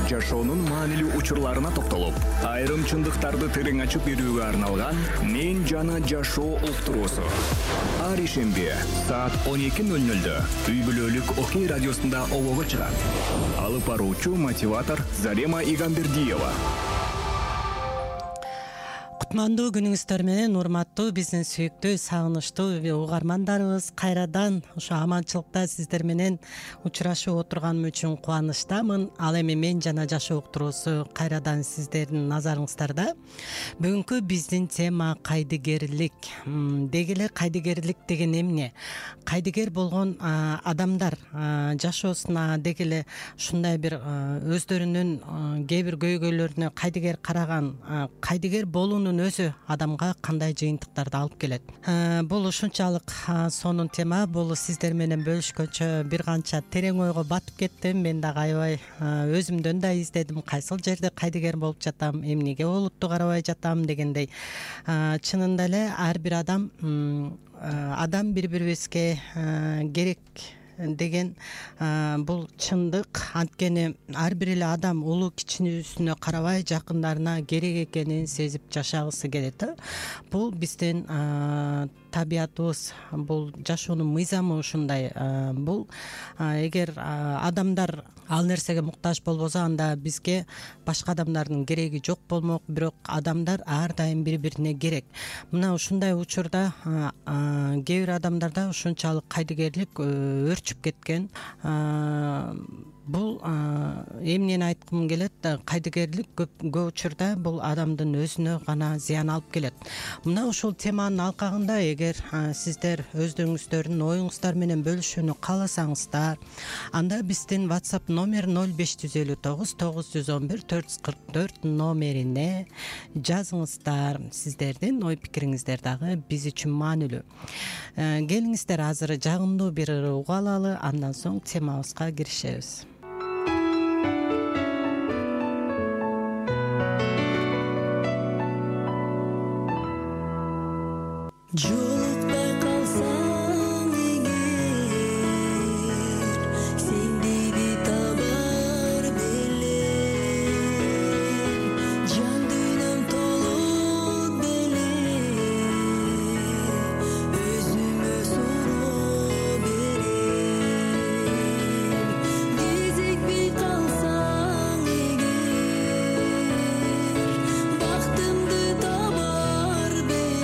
жашоонун маанилүү учурларына токтолуп, айрым чындыктарды терең ачып берүүгө арналган «Мен жана жашоо» уктуруусу. Ар ишемби саат 12:00 үй бүлөлүк Окей радиосунда обого чыгат. Алып баруучу мотиватор Зарема Игамбердиева. Кутмандуу күнүңүздөр менен урматтуу биздин сүйүктүү, сагынычтуу угармандарыбыз, кайрадан ошо аманчылыкта сиздер менен учурашып отурганым үчүн кубанычтамын. Ал эми «Мен жана жашоо» уктуруусу кайрадан сиздердин назарыңыздарда. Бүгүнкү биздин тема кайдыгерлик. Деги эле кайдыгерлик деген эмне? Кайдыгер болгон адамдар жашоосуна деги эле ушундай бир өздөрүнүн кээ бир көйгөйлөрүнө кайдыгер караган, кайдыгер болуунун өзү адамга кандай жыйынтыктарды алып келет. Бул ушунчалык сонун тема. Бул сиздер менен бөлүшкөнчө бир канча терең ойго батып кеттим. Мен дагы аябай өзүмдөн да издедим. Кайсыл жерде кайдыгер болуп жатам, эмнеге олутту карабай жатам дегендей. Чынында эле ар бир адам бири-бирибизге керек деген бул чындык. Анткени ар бир эле адам улуу кичинүүсүнө карабай жакындарына керек экенин сезип жашагысы келет. Бул биздин табиятыбыз, бул жашоонун мыйзамы ушундай. Бул эгер адамдар ал нерсеге муктаж болбосо, анда бизге башка адамдардын кереги жок болмок. Бирок адамдар ар дайым бири-бирине керек. Мына ушундай учурда кээ бир адамдарда ушунчалык кайдыгерлик өрчүп кеткен. Бул эмнени айткым келет? Кайдыгерлик көп учурда бул адамдын өзүнө гана зыян алып келет. Мына ушул теманын алкагында эгер сиздер өздөрүңүздөрдүн оюңуздар менен бөлүшүүнү кааласаңыздар, анда биздин WhatsApp номер 0559 911 444 номерине жазыңыздар. Сиздердин ой пикириңиздер дагы биз үчүн маанилүү. Келиңиздер, азыр жагымдуу бир угуу алалы, андан соң темабызга киришебиз. Жолукпай калсаң эгер, сендеби табар белем, жан дүйнөм толот белем, өзүмө суроо берем. Кезикпей калсаң эгер, бактымды табар белем,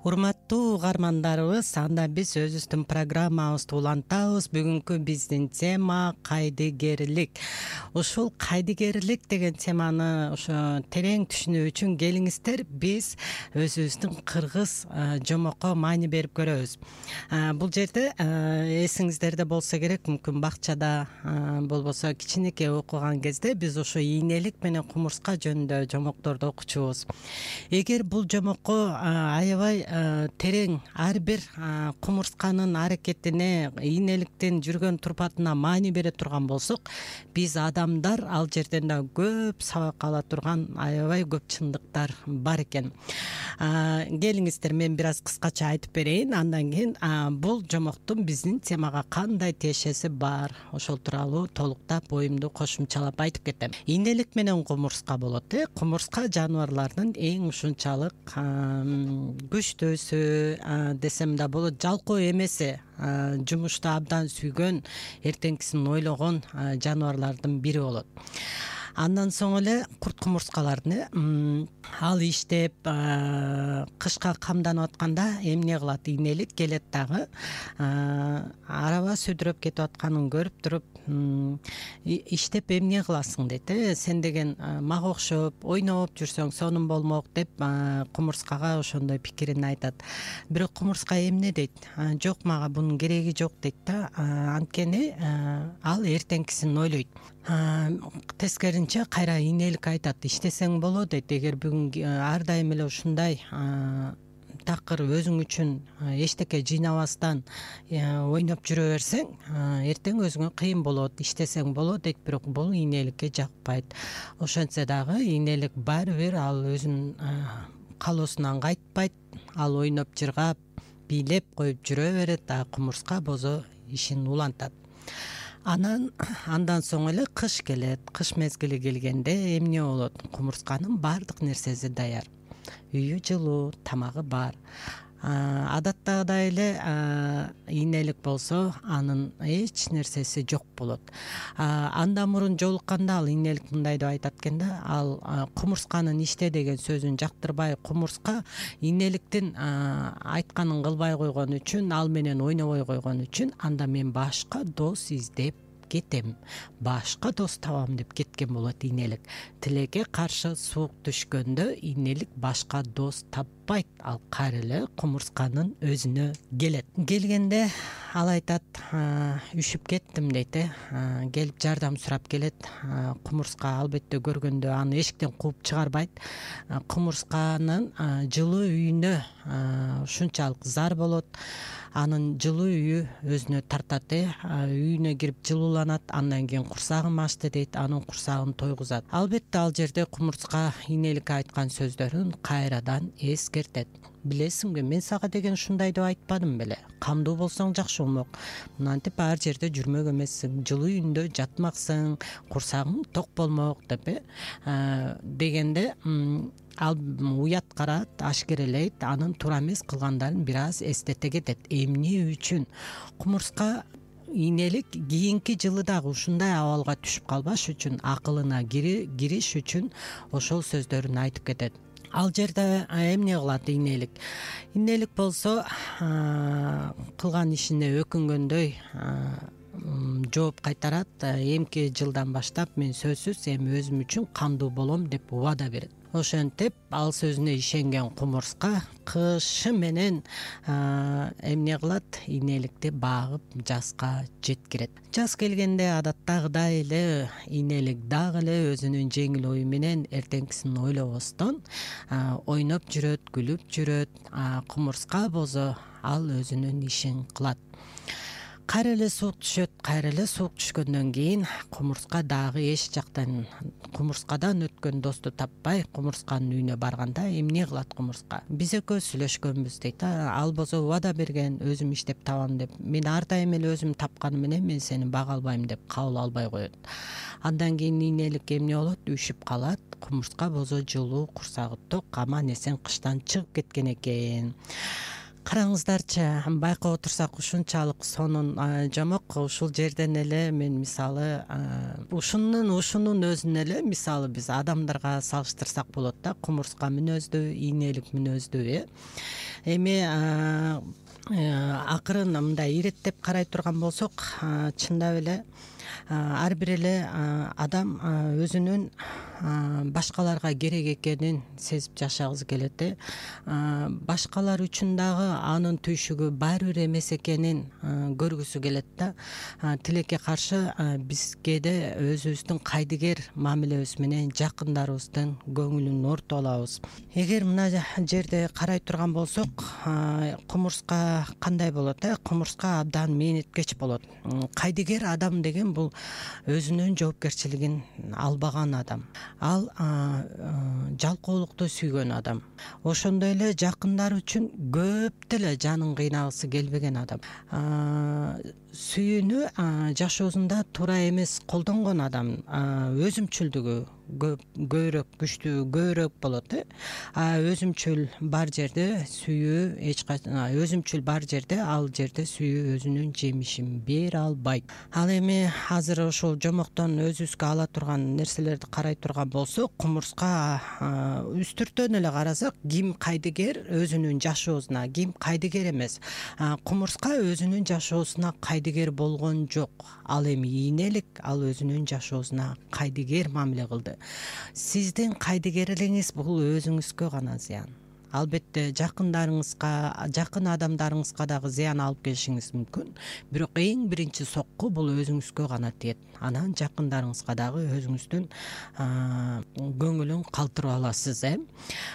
Урматтуу угармандарыбыз, анда биз өзүбүздүн программабызды улантабыз. Бүгүнкү биздин тема кайдыгерлик. Ушул кайдыгерлик деген теманы ошо терең түшүнүү үчүн келиңиздер, биз өзүбүздүн кыргыз жомокко маани берип көрөбүз. Бул жерде эсиңиздерде болсо керек, мүмкүн бакчада болбосо кичинекей окуган кезде биз ошо ийнелик менен кумурска жөнүндө жомокторду окучубуз. Эгер бул жомокко аябай терең ар бир кумурсканын аракетине, ийнеликтин жүргөн турпатына маани бере турган болсок, биз адамдар ал жерден да көп сабак ала турган аябай көп чындыктар бар экен. Келиңиздер, мен бир аз кыскача айтып берейин, андан кийин бул жомоктун биздин темага кандай тиешеси бар, ошол тууралуу толуктап оюмду кошумчалап айтып кетем. Ийнелик менен кумурска болот. Кумурска жаныбарлардын эң ушунчалык күчтөөсү десем да болот, жалкоо эмеси, жумушту абдан сүйгөн, эртеңкисин ойлогон жаныбарлардын бири болот. Андан соң эле курт кумурскалардын ал иштеп кышка камданып атканда эмне кылат? Ийнелик келет дагы араба сүдүрөп кетип атканын көрүп туруп, иштеп эмне кыласың дейт. Сен деген мага окшоп ойноп жүрсөң сонун болмок деп кумурскага ошондой пикирин айтат. Бирок кумурска эмне дейт? Жок, мага бунун кереги жок дейт да. Анткени ал эртеңкисин ойлойт. Тескеринче кайра ийнелик айтат, иштесең болот дейт. Эгер бүгүн ар дайым эле ушундай такыр өзүң үчүн эчтеке жыйнабастан ойноп жүрө берсең, эртең өзүңө кыйын болот, иштесең болот дейт. Бирок бул ийнеликке жакпайт. Ошентсе дагы ийнелик баары бир ал өзүнүн калоосунан кайтпайт. Ал ойноп жыргап, бийлеп коюп жүрө берет, кумурска бозо ишин улантат. Андан соң эле кыш келет. Кыш мезгили келгенде эмне болот? Кумурсканын баардык нерсеси даяр. Үйү жылуу, тамагы бар. Адаттагыдай эле ийнелик болсо, анын эч нерсеси жок болот. Андан мурун жолукканда ал ийнелик мындай деп айтат экен да, ал кумурсканын иште деген сөзүн жактырбай, кумурска ийнеликтин айтканын кылбай койгон үчүн, ал менен ойнобой койгон үчүн, анда мен башка дос издеп кетем, башка дос табам деп кеткен болот ийнелик. Тилекке каршы суук түшкөндө ийнелик башка дос таппайт, ал кайра эле кумурсканын өзүнө келет. Келгенде ал айтат, үшүп кеттим дейт. Келип жардам сурап келет. Кумурска албетте көргөндө аны эшиктен кууп чыгарбайт. Кумурсканын жылуу үйүнө ушунчалык зар болот. Анын жылуу үйү өзүнө тартат, үйүнө кирип жылууланат, андан кийин курсагым ачты дейт, анын курсагын тойгузат. Албетте ал жерде кумурска ийнеликке айткан сөздөрүн кайрадан эскертет. Билесиңби, мен сага деген ушундай деп айтпадым беле? Камдуу болсоң жакшы болмок. Мынантип ар жерде жүрмөк эмессиң, жылуу үйүндө жатмаксың, курсагың ток болмок деп дегенде ал уят карат, ашкерелейт, анын туура эмес кылгандарын бир аз эстете кетет. Эмне үчүн? Кумурска ийнелик кийинки жылы дагы ушундай абалга түшүп калбаш үчүн, акылына кириш үчүн ошол сөздөрүн айтып кетет. Ал жерде эмне кылат ийнелик? Ийнелик болсо кылган ишине өкүнгөндөй жооп кайтарат. Эмки жылдан баштап мен сөзсүз эми өзүм үчүн кандуу болом деп убада берет. Ошентип ал сөзүнө ишенген кумурска кышы менен эмне кылат? Ийнеликти багып жазга жеткирет. Жаз келгенде адаттагыдай эле ийнелик дагы эле өзүнүн жеңил ою менен эртеңкисин ойлобостон ойноп жүрөт, күлүп жүрөт. Кумурска бозо ал өзүнүн ишин кылат. Кайра эле суук түшөт. Кайра эле суук түшкөндөн кийин кумурска дагы эч жактан кумурскадан өткөн досту таппай, кумурсканын үйүнө барганда эмне кылат кумурска? Биз экөөбүз сүйлөшкөнбүз дейт. Ал болсо убада берген, өзүм иштеп табам деп. Мен ар дайым эле өзүм тапканым менен мен сени бага албайм деп кабыл албай коет. Андан кийин ийнелик эмне болот? Үшүп калат. Кумурска бозо жылуу, курсагы ток, аман эсен кыштан чыгып кеткен экен. Караңыздарчы, байкап отурсак ушунчалык сонун жомок. Ушул жерден эле мен мисалы ушунун өзүнө эле мисалы биз адамдарга салыштырсак болот да. Кумурска мүнөздүү, ийнелик мүнөздүү. Эми акырын мындай иреттеп карай турган болсок, чындап эле ар бир эле адам өзүнүн башкаларга керек экенин сезип жашагысы келет. Башкалар үчүн дагы анын түйшүгү баары бир эмес экенин көргүсү келет да. Тилекке каршы биз кээде өзүбүздүн кайдыгер мамилебиз менен жакындарыбыздын көңүлүн оорута алабыз. Эгер мына жерде карай турган болсок, кумурска кандай болот? Кумурска абдан мээнеткеч болот. Кайдыгер адам деген бул өзүнүн жоопкерчилигин албаган адам. Ал жалкоолукту сүйгөн адам. Ошондой эле жакындары үчүн көп деле жанын кыйнагысы келбеген адам. Сүйүүнү жашоосунда туура эмес колдонгон адам. Өзүмчүлдүгү көбүрөөк күчтүү, көбүрөөк болот. Өзүмчүл бар жерде сүйүү өзүмчүл бар жерде, ал жерде сүйүү өзүнүн жемишин бере албайт. Ал эми азыр ушул жомоктон өзүбүзгө ала турган нерселерди карай турган болсок, кумурска үстүртөн эле карасак, ким кайдыгер өзүнүн жашоосуна, ким кайдыгер эмес. Кумурска өзүнүн жашоосуна кайдыгер болгон жок. Ал эми ийнелик, ал өзүнүн жашоосуна кайдыгер мамиле кылды. Сиздин кайдыгерлигиңиз бул өзүңүзгө гана зыян. Албетте жакындарыңызга, жакын адамдарыңызга дагы зыян алып келишиңиз мүмкүн. Бирок эң биринчи сокку бул өзүңүзгө гана тиет. Анан жакындарыңызга дагы өзүңүздүн көңүлүн калтырып аласыз.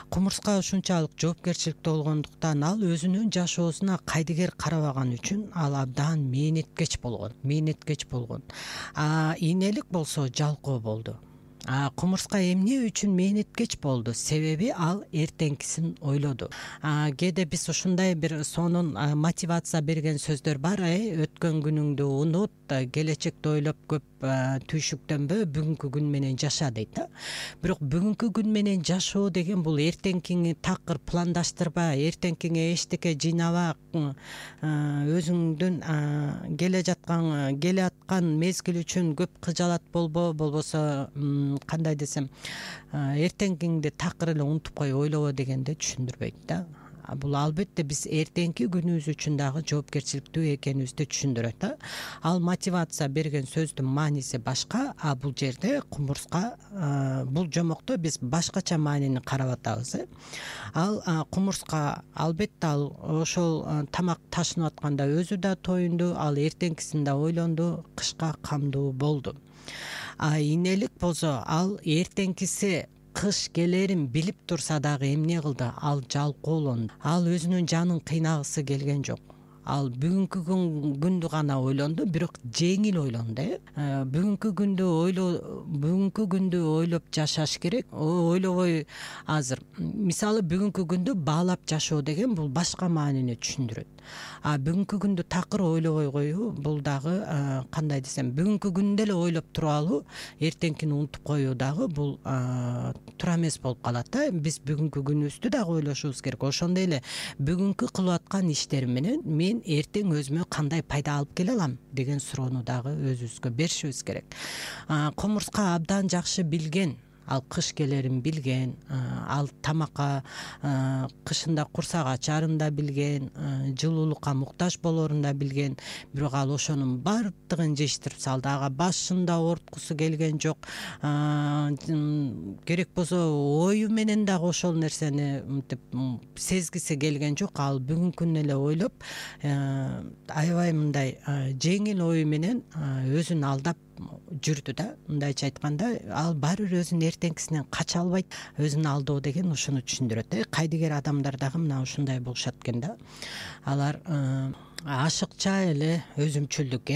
Кумурска ушунчалык жоопкерчиликтүү болгондуктан ал өзүнүн жашоосуна кайдыгер карабаган үчүн ал абдан мээнеткеч болгон. Ийнелик болсо жалкоо болду. Кумурска эмне үчүн мээнеткеч болду? Себеби ал эртеңкисин ойлоду. Кээде биз ушундай бир сонун мотивация берген сөздөр бар. Өткөн күнүңдү унут, келечекти ойлоп көп түйшүктөнбө, бүгүнкү күн менен жаша дейт да. Бирок бүгүнкү күн менен жашоо деген бул эртеңкиңи такыр пландаштырба, эртеңкиңе эчтеке жыйнаба, өзүңдүн келе аткан мезгил үчүн көп кыжалат болбосо, кандай десем, эртеңкиңди такыр эле унутуп кой, ойлобо дегенди түшүндүрбөйт да. Бул албетте биз эртеңки күнүбүз үчүн дагы жоопкерчиликтүү экенибизди түшүндүрөт да. Ал мотивация берген сөздүн мааниси башка, бул жерде кумурска, бул жомокто биз башкача маанини карап атабыз. Ал кумурска албетте ал ошол тамак ташынып атканда өзү да тоюнду, ал эртеңкисин да ойлонду, кышка камдуу болду. Ийнелик болсо ал эртеңкиси кыш келерин билип турса дагы эмне кылды? Ал жалкоолонду. Ал өзүнүн жанын кыйнагысы келген жок. Ал бүгүнкү күндү гана ойлонду, бирок жеңил ойлонду. Бүгүнкү күндү ойлоп жашаш керек. Ойлобой азыр. Мисалы, бүгүнкү күндү баалап жашоо деген бул башка маанини түшүндүрөт. Бүгүнкү күндү такыр ойлобой коюу, бул дагы кандай десем, бүгүнкү күндү эле ойлоп туруп алуу, эртеңкини унутуп коюу дагы бул туура эмес болуп калат да. Биз бүгүнкү күнүбүздү дагы ойлошубуз керек. Ошондой эле бүгүнкү кылып аткан иштерим менен мен эртең өзүмө кандай пайда алып келе алам деген суроону дагы өзүбүзгө беришибиз керек. Кумурска абдан жакшы билген, ал кыш келерин билген, ал тамакка кышында курсак ачарын да билген, жылуулукка муктаж болорун да билген, бирок ал ошонун баардыгын жештирип салды. Ага башын да ооруткусу келген жок. Керек болсо ою менен дагы ошол нерсени мынтип сезгиси келген жок. Ал бүгүнкүн эле ойлоп, аябай мындай жеңил ою менен өзүн алдап жүрдү да. Мындайча айтканда, ал баары бир өзүнүн эртеңкисинен кача албайт. Өзүн алдоо деген ушуну түшүндүрөт. Кайдыгер адамдар дагы мына ушундай болушат экен да. Алар ашыкча эле өзүмчүлдүк.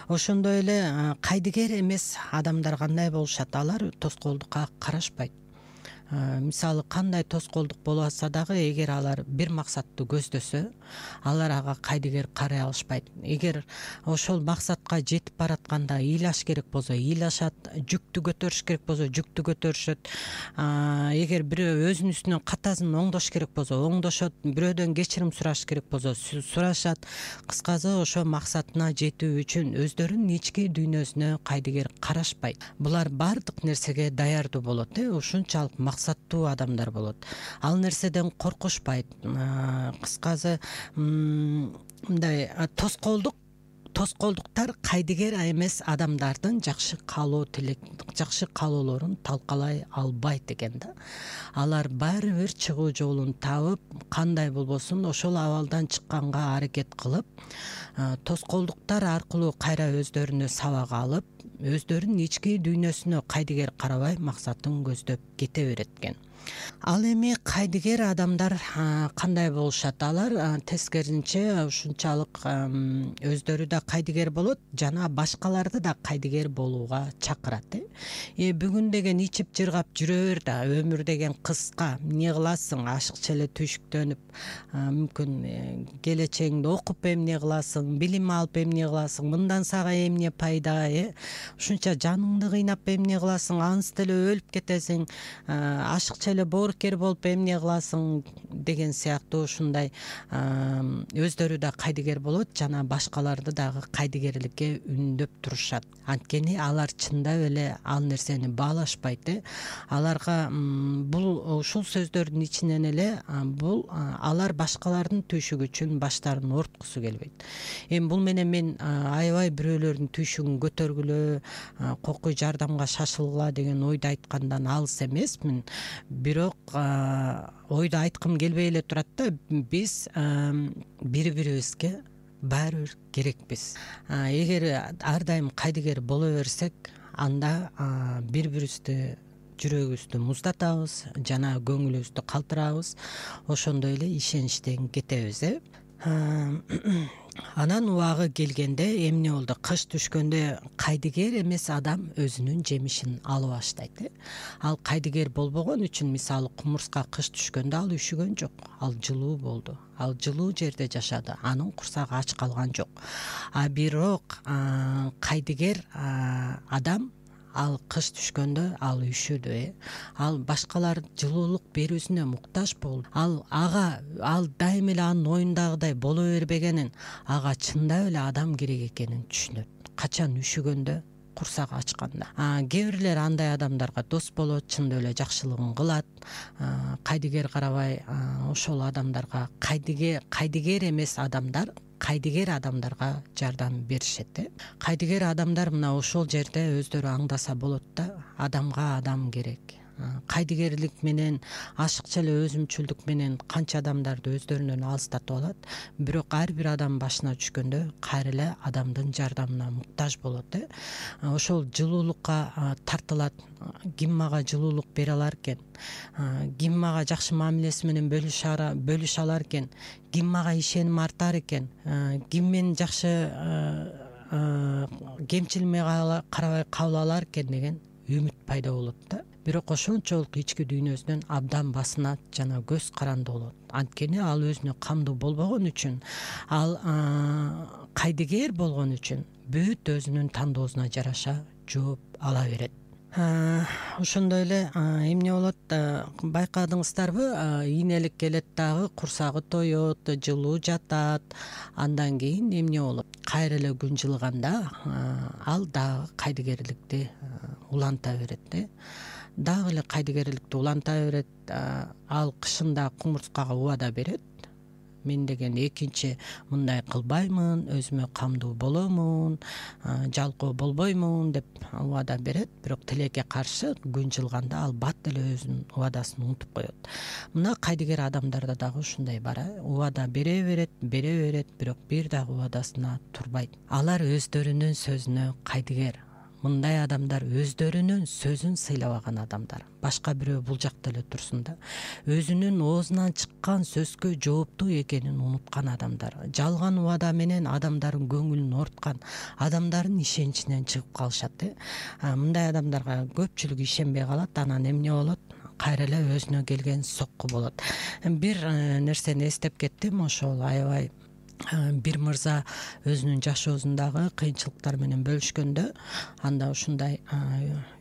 Ошондой эле кайдыгер эмес адамдар кандай болушат? Алар тоскоолдукка карашпайт. Мисалы, кандай тоскоолдук болбаса дагы, эгер алар бир максатты көздөсө, алар ага кайдыгер карай алышпайт. Эгер ошол максатка жетип баратканда ыйлаш керек болсо ыйлашат, жүктү көтөрүш керек болсо жүктү көтөрүшөт. Эгер бирөө өзүнүн үстүнөн катасын оңдош керек болсо оңдошот, бирөөдөн кечирим сураш керек болсо сурашат. Кыскасы ошо максатына жетүү үчүн өздөрүнүн ички дүйнөсүнө кайдыгер карашпайт. Булар баардык нерсеге даярдуу болот, ушунчалык максаттуу адамдар болот. Ал нерседен коркушпайт. Кыскасы мындай тоскоолдуктар кайдыгер эмес адамдардын жакшы каалоолорун талкалай албайт экен да. Алар баары бир чыгуу жолун табып, кандай болбосун ошол абалдан чыкканга аракет кылып, тоскоолдуктар аркылуу кайра өздөрүнө сабак алып, өздөрүнүн ички дүйнөсүнө кайдыгер карабай максатын көздөп кете берет экен. Ал эми кайдыгер адамдар кандай болушат? Алар тескерисинче ушунчалык өздөрү да кайдыгер болот жана башкаларды да кайдыгер болууга чакырат. Бүгүн деген ичип жыргап жүрө бер да, өмүр деген кыска, эмне кыласың? Ашыкча эле түйшүктөнүп, мүмкүн келечегиңди окуп эмне кыласың, билим алып эмне кыласың, мындан сага эмне пайда, ушунча жаныңды кыйнап эмне кыласың, ансы деле өлүп кетесиң, ашыкча эле боорукер болуп эмне кыласың деген сыяктуу ушундай өздөрү да кайдыгер болот жана башкаларды дагы кайдыгерликке үндөп турушат. Анткени алар чындап эле ал нерсени баалашпайт. Аларга бул ушул сөздөрдүн ичинен эле алар башкалардын түйшүгү үчүн баштарын ооруткусу келбейт. Эми бул менен мен аябай бирөөлөрдүн түйшүгүн көтөргүлө, кокуй жардамга шашылгыла деген ойду айткандан алыс эмесмин. Бирок ойду айткым келбей эле турат да, биз бири-бирибизге баары бир керекпиз. Эгер ар дайым кайдыгер боло берсек, анда бири-бирибизди жүрөгүбүздү муздатабыз жана көңүлүбүздү калтырабыз. Ошондой эле ишеничтен кетебиз. Анан убагы келгенде эмне болду? Кыш түшкөндө кайдыгер эмес адам өзүнүн жемишин ала баштайт. Ал кайдыгер болбогон үчүн, мисалы, кумурска кыш түшкөндө ал үшүгөн жок, ал жылуу болду. Ал жылуу жерде жашады, анын курсагы ач калган жок. Бирок кайдыгер адам ал кыш түшкөндө ал үшүдү. Ал башкалар жылуулук берүүсүнө муктаж болду. Ал дайым эле анын оюндагыдай боло бербегенин, ага чындап эле адам керек экенин түшүнөт. Качан үшүгөндө, курсагы ачканда. Кээ бирлер андай адамдарга дос болот, чындап эле жакшылыгын кылат. Кайдыгер карабай ошол адамдарга кайдыгер эмес адамдар кайдыгер адамдарга жардам беришет. Кайдыгер адамдар мына ошол жерде өздөрү аңдаса болот да, адамга адам керек. Кайдыгерлик менен, ашыкча эле өзүмчүлдүк менен канча адамдарды өздөрүнөн алыстатып алат. Бирок ар бир адам башына түшкөндө кайра эле адамдын жардамына муктаж болот. Ошол жылуулукка тартылат. Ким мага жылуулук бере алар экен? Ким мага жакшы мамилеси менен бөлүшө алар экен? Ким мага ишеним артар экен? Ким мени жакшы кемчилигиме карабай кабыл алар экен деген үмүт пайда болот да. Бирок ошончолук ички дүйнөсүнөн абдан басынат жана көз каранды болот. Анткени ал өзүнө камдуу болбогон үчүн, ал кайдыгер болгон үчүн бүт өзүнүн тандоосуна жараша жооп ала берет. Ошондой эле эмне болот, байкадыңыздарбы? Ийнелик келет дагы, курсагы тоет, жылуу жатат. Андан кийин эмне болот? Кайра эле күн жылыганда ал дагы кайдыгерликти уланта берет. Дагы эле кайдыгерликти уланта берет. Ал кышында кумурскага убада берет. Мен деген экинчи мындай кылбаймын, өзүмө камдуу боломун, жалкоо болбоймун деп убада берет. Бирок тилекке каршы күн жылганда ал бат эле өзүнүн убадасын унутуп коет. Мына кайдыгер адамдарда дагы ушундай бар. Убада бере берет, бирок бир дагы убадасына турбайт. Алар өздөрүнүн сөзүнө кайдыгер. Мындай адамдар өздөрүнүн сөзүн сыйлабаган адамдар. Башка бирөө бул жакта эле турсун да. Өзүнүн оозунан чыккан сөзгө жооптуу экенин унуткан адамдар. Жалган убада менен адамдардын көңүлүн ооруткан, адамдардын ишеничинен чыгып калышат. Мындай адамдарга көпчүлүк ишенбей калат. Анан эмне болот? кайра эле өзүнө келген сокку болот. Бир нерсени эстеп кеттим, ошол аябай бир мырза өзүнүн жашоосундагы кыйынчылыктар менен бөлүшкөндө, анда ушундай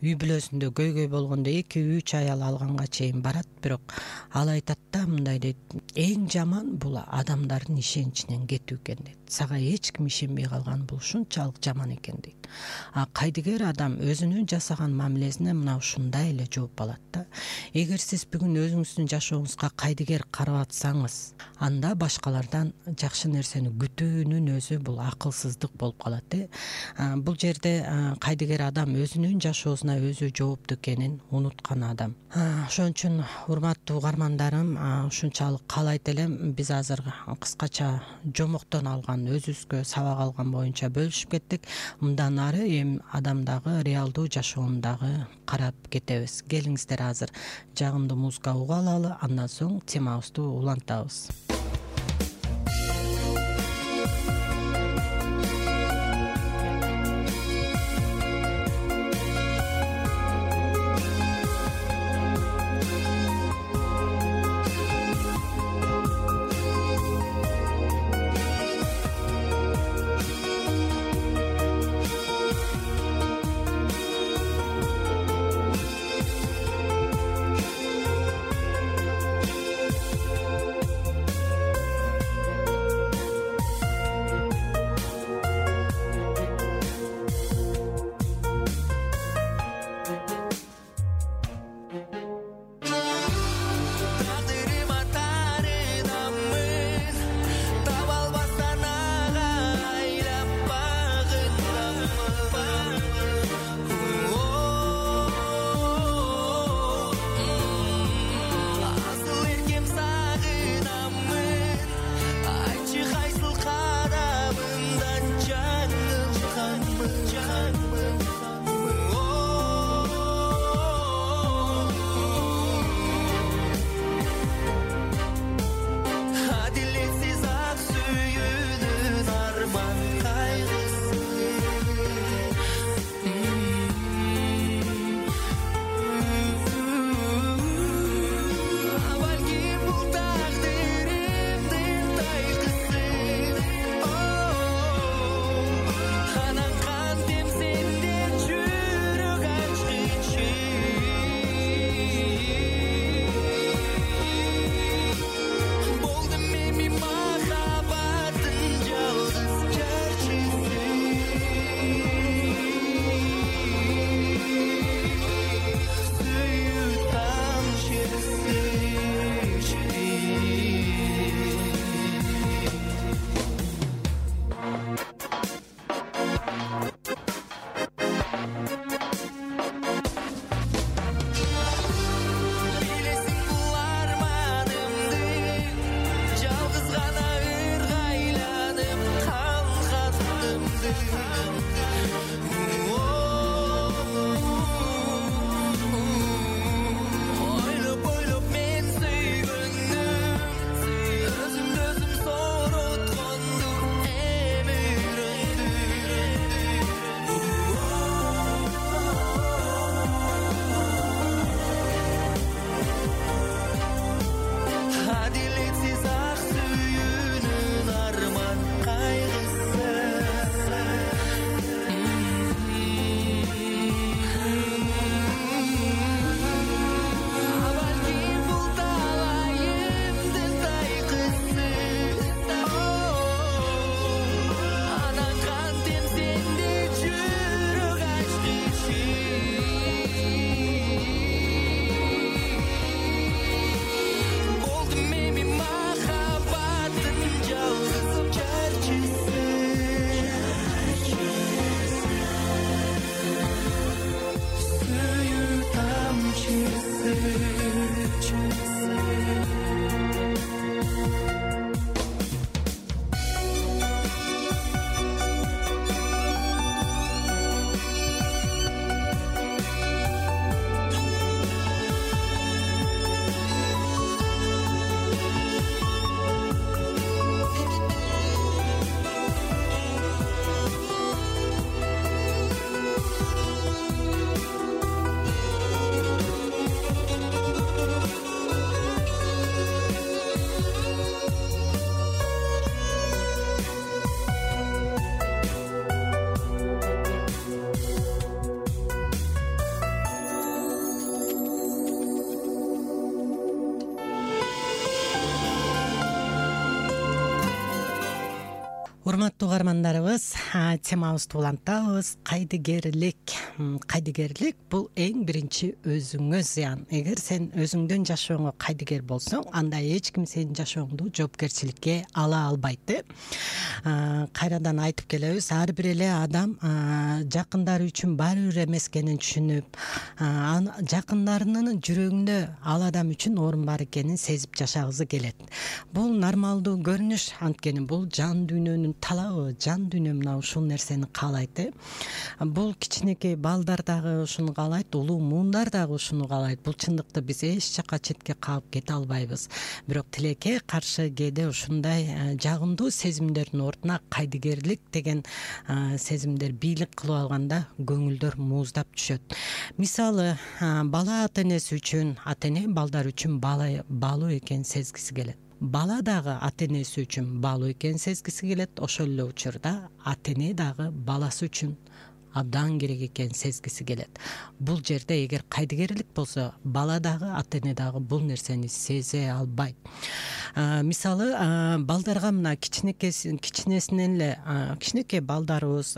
үй бүлөсүндө көйгөй болгондо 2-3 аял алганга чейин барат, бирок ал айтат да мындай дейт: эң жаман бул адамдардын ишеничинен кетүү экен дейт. Сага эч ким ишенбей калган бул ушунчалык жаман экен дейт. Кайдыгер адам өзүнүн жасаган мамилесине мына ушундай эле жооп алат да. Эгер сиз бүгүн өзүңүздүн жашооңузга кайдыгер карап атсаңыз, анда башкалардан жакшы нерсени күтүүнүн өзү бул акылсыздык болуп калат. Бул жерде кайдыгер адам өзүнүн жашоосуна өзү жооптуу экенин унуткан адам. Ошон үчүн урматтуу угармандарым, ушунчалык каалайт элем биз азыр кыскача жомоктон алган, өзүбүзгө сабак алган боюнча бөлүшүп кеттик. Мындан ары эми адамдагы реалдуу жашоондагы карап кетебиз. Келиңиздер азыр жагымдуу музыка уга алалы, андан соң темабызды улантабыз. Урматтуу угармандарыбыз, темабызды улантабыз. Кайдыгерлик бул эң биринчи өзүңө зыян. Эгер сен өзүңдөн жашооңо кайдыгер болсоң, анда эч ким сенин жашооңду жоопкерчиликке ала албайт. Кайрадан айтып келебиз, ар бир эле адам жакындары үчүн баары бир эмес экенин түшүнүп, жакындарынын жүрөгүндө ал адам үчүн орун бар экенин сезип жашагысы келет. Бул нормалдуу көрүнүш, анткени бул жан дүйнөнүн талабы, жан дүйнө мына ушул нерсени каалайт. Бул кичинекей балдар дагы ушуну каалайт, улуу муундар дагы ушуну каалайт. Бул чындыкты биз эч жакка четке калып кете албайбыз. Бирок тилекке каршы кээде ушундай жагымдуу сезимдердин ордуна кайдыгерлик деген сезимдер бийлик кылып алганда көңүлдөр мууздап түшөт. Мисалы, бала ата энеси үчүн, ата эне балдар үчүн баалуу экенин сезгиси келет. Бала дагы ата энеси үчүн баалуу экенин сезгиси келет. Ошол эле учурда ата эне дагы баласы үчүн абдан керек экенин сезгиси келет. Бул жерде эгер кайдыгерлик болсо, бала дагы ата эне дагы бул нерсени сезе албайт. Мисалы, балдарга мына кичинесинен эле кичинекей балдарыбыз,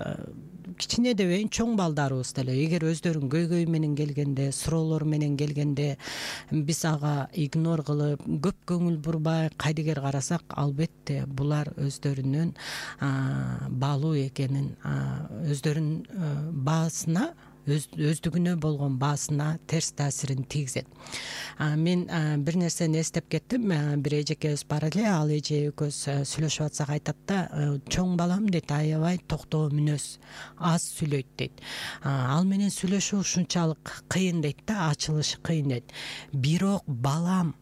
кичине дебейин, чоң балдарыбыз деле эгер өздөрүнүн көйгөйү менен келгенде, суроолору менен келгенде биз ага игнор кылып, көп көңүл бурбай кайдыгер карасак, албетте булар өздөрүнүн баалуу экенин, өздөрүнүн баасына, өздүгүнө болгон баасына терс таасирин тийгизет. Мен бир нерсени эстеп кеттим. Бир эжекебиз бар эле, ал эже экөөбүз сүйлөшүп атсак айтат да, чоң балам дейт, аябай токтоо мүнөз, аз сүйлөйт дейт. Ал менен сүйлөшүү ушунчалык кыйын дейт да, ачылышы кыйын дейт. Бирок балам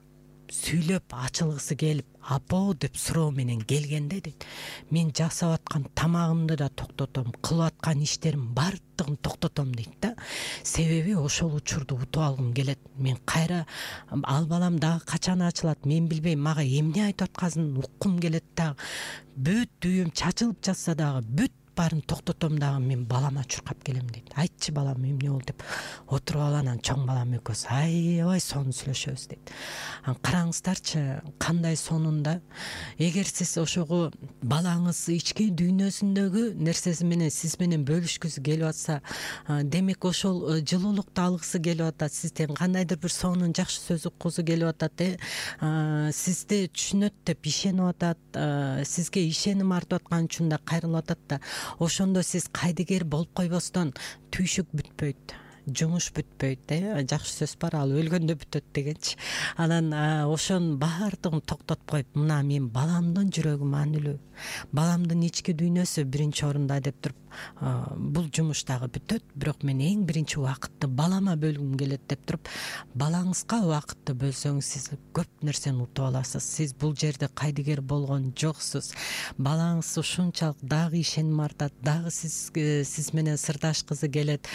сүйлөп ачылгысы келип, апо деп суроо менен келгенде дейт, мен жасап аткан тамагымды да токтотом, кылып аткан иштерим баардыгын токтотом дейт да. Себеби ошол учурду утуп алгым келет. Мен кайра ал балам дагы качан ачылат, мен билбейм, мага эмне айтып атканын уккум келет дагы. Бүт дүйүм чачылып жатса дагы, бүт баарын токтотом дагы, мен балама чуркап келем дейт. Айтчы балам, эмне болду деп отуруп алып, анан чоң балам экөөбүз аябай сонун сүйлөшөбүз дейт. Караңыздарчы, кандай сонунда. Эгер сиз ошого балаңыз ички дүйнөсүндөгү нерсеси менен сиз менен бөлүшкүсү келип атса, демек ошол жылуулукту алгысы келип атат, сизден кандайдыр бир сонун жакшы сөз уккусу келип атат, сизди түшүнөт деп ишенип атат, сизге ишеним артып аткан үчүн да кайрылып атат да. Ошондо сиз кайдыгер болуп койбостон, түйшүк бүтпөйт, жумуш бүтпөйт. Жакшы сөз бар, ал өлгөндө бүтөт дегенчи. Анан ошонун баардыгын токтотуп коюп, мына мен баламдын жүрөгү маанилүү, баламдын ички дүйнөсү биринчи орунда деп туруп, бул жумуш дагы бүтөт, бирок мен эң биринчи убакытты балама бөлгүм келет деп туруп, балаңызга убакытты бөлсөңүз, сиз көп нерсени утуп аласыз. Сиз бул жерде кайдыгер болгон жоксуз. Балаңыз ушунчалык дагы ишеним артат, дагы сиз менен сырдашкысы келет.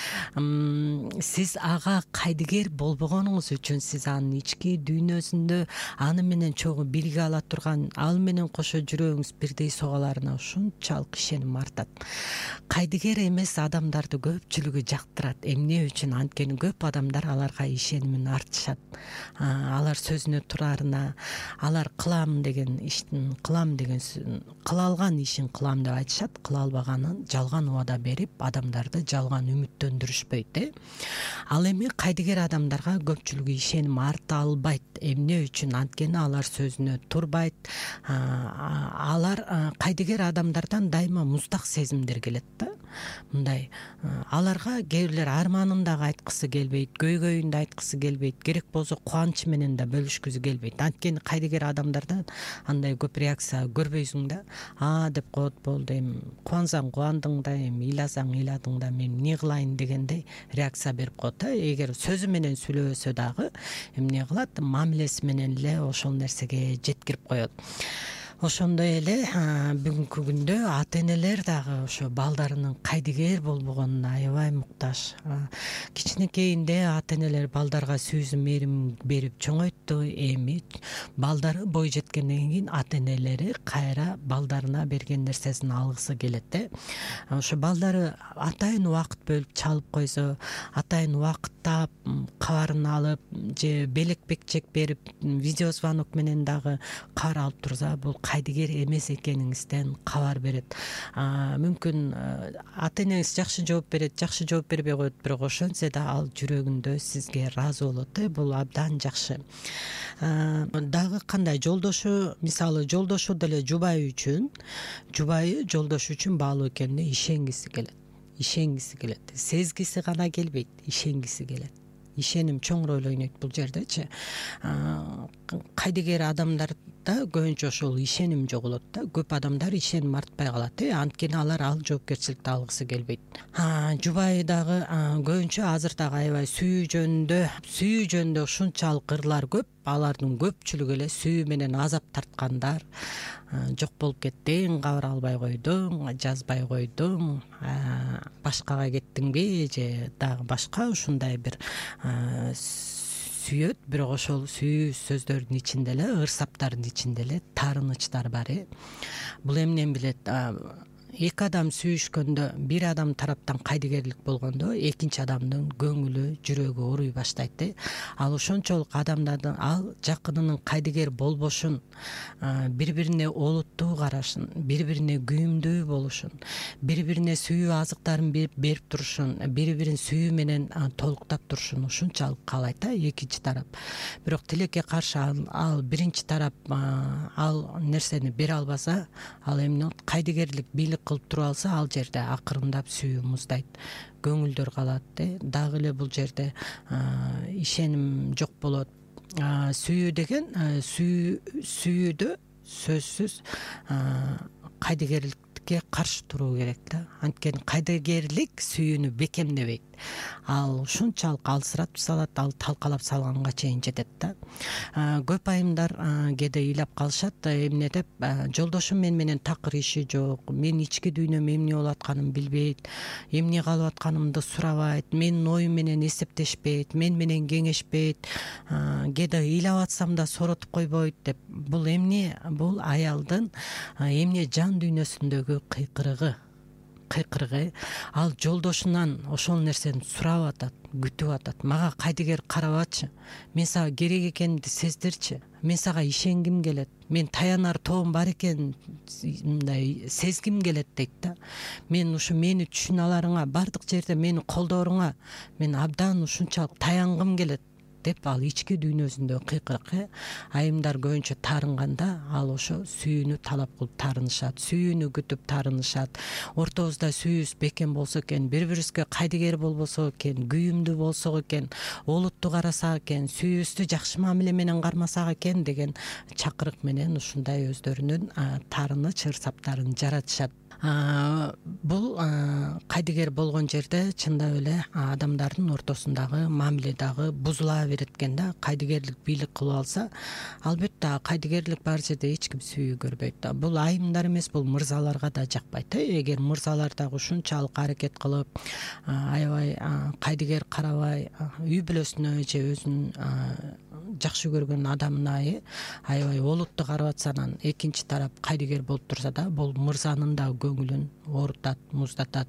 Сиз ага кайдыгер болбогонуңуз үчүн, сиз анын ички дүйнөсүндө аны менен чогуу бирге ала турган, ал менен кошо жүрөгүңүз бирдей согаларына ушунчалык ишеним артат. Кайдыгер эмес адамдарды көпчүлүгү жактырат. Эмне үчүн? Анткени көп адамдар аларга ишенимин артышат. Алар сөзүнө турарына, алар кыла алган ишин кылам деп айтышат, кыла албаганын жалган убада берип, адамдарды жалган үмүттөндүрүшпөйт. Ал эми кайдыгер адамдарга көпчүлүгү ишеним арта албайт. Эмне үчүн? Анткени алар сөзүнө турбайт. Алар кайдыгер адамдардан дайыма муздак сезимдер келет да. Мындай аларга кээ бирлер арманын дагы айткысы келбейт, көйгөйүн да айткысы келбейт, керек болсо кубанычы менен да бөлүшкүсү келбейт. Анткени кайдыгер адамдардан андай көп реакция көрбөйсүң да. Деп коет, болду, эми кубансаң кубандың да, эми ыйласаң ыйладың да, мен эмне кылайын дегендей реакция берип коет. Эгер сөзү менен сүйлөбөсө дагы эмне кылат? Мамилеси менен эле ошол нерсеге жеткирип коет. Ошондой эле бүгүнкү күндө ата энелер дагы ошо балдарынын кайдыгер болбогонуна аябай муктаж. Кичинекейинде ата энелер балдарга сүйүүсүн мээрим берип чоңойтту. Эми балдары бой жеткенден кийин ата энелери кайра балдарына берген нерсесин алгысы келет. Ошо балдары атайын убакыт бөлүп чалып койсо, атайын убакыттап кабарын алып же белек бекчек берип, видео звонок менен дагы кабар алып турса, бул кайдыгер эмес экениңизден кабар берет. Мүмкүн ата энеңиз жакшы жооп берет, жакшы жооп бербей коет, бирок ошентсе да ал жүрөгүндө сизге ыраазы болот. Бул абдан жакшы. Дагы кандай жолдошу, мисалы жолдошу деле жубайы жолдошу үчүн баалуу экенине ишенгиси келет. Сезгиси гана келбейт, ишенгиси келет. Ишеним чоң роль ойнойт бул жердечи. Кайдыгер адамдарда көбүнчө ошол ишеним жоголот да. Көп адамдар ишеним артпай калат. Анткени алар ал жоопкерчиликти алгысы келбейт. Жубайы дагы көбүнчө азыр дагы аябай сүйүү жөнүндө ушунчалык ырлар көп. Алардын көпчүлүгү эле сүйүү менен азап тарткандар. Жок болуп кеттиң, кабар албай койдуң, жазбай койдуң, башкага кеттиңби же дагы башка ушундай бир сүйөт. Бирок ошол сүйүү сөздөрдүн ичинде эле, ырсаптардын ичинде эле таарынычтар бар. Бул эмнени билет? Эки адам сүйүшкөндө, бир адам тараптан кайдыгерлик болгондо, экинчи адамдын көңүлү, жүрөгү ооруй баштайт. Ал ошончолук адамдардын ал жакынынын кайдыгер болбошун, бири-бирине олуттуу карашын, бири-бирине күйүмдүү болушун, бири-бирине сүйүү азыктарын берип турушун, бири-бирин сүйүү менен толуктап турушун ушунчалык каалайт экинчи тарап. Бирок тилекке каршы ал биринчи тарап ал нерсени бере албаса, ал эмне болот? Кайдыгерлик бийлик кылып туруп алса, ал жерде акырындап сүйүү муздайт, көңүлдөр калат. Дагы эле бул жерде ишеним жок болот. Сүйүү деген сүйүүдө сөзсүз кайдыгерликке каршы туруу керек да. Анткени кайдыгерлик сүйүүнү бекемдебейт. Ал ушунчалык алсыратып салат, ал талкалап салганга чейин жетет да. Көп айымдар кээде ыйлап калышат, эмне деп, жолдошум менен такыр иши жок, мен ички дүйнөм эмне болуп атканын билбейт, эмне калып атканымды сурабайт, менин оюм менен эсептешпейт, мен менен кеңешпейт, кээде ыйлап атсам да сооротуп койбойт деп. Бул эмне? Бул аялдын эмне жан дүйнөсүндөгү кыйкырыгы. Ал жолдошунан ошол нерсени сурап атат, күтүп атат. Мага кайдыгер карабачы, мен сага керек экенимди сездирчи, мен сага ишенгим келет, мен таянар тоом бар экенин мындай сезгим келет дейт да. Мен ушу мени түшүнө аларыңа, бардык жерде мени колдооруңа мен абдан ушунчалык таянгым келет деп ал ички дүйнөсүндө кыйкырык. Айымдар көбүнчө таарынганда ал ошо сүйүүнү талап кылып таарынышат, сүйүүнү күтүп таарынышат. Ортобузда сүйүүбүз бекем болсо экен, бири-бирибизге кайдыгер болбосок экен, күйүмдүү болсок экен, олуттуу карасак экен, сүйүүбүздү жакшы мамиле менен кармасак экен деген чакырык менен ушундай өздөрүнүн таарыныч ырсаптарын жаратышат. Бул кайдыгер болгон жерде чындап эле адамдардын ортосундагы мамиле дагы бузула берет экен да. Кайдыгерлик бийлик кылып алса, албетте кайдыгерлик бар жерде эч ким сүйүү көрбөйт да. Бул айымдар эмес, бул мырзаларга да жакпайт. Эгер мырзалар дагы ушунчалык аракет кылып, аябай кайдыгер карабай, үй бүлөсүнө же өзүнүн жакшы көргөн адамына аябай олуттуу карап атса, анан экинчи тарап кайдыгер болуп турса да, бул мырзанын да көңүлүн оорутат, муздатат.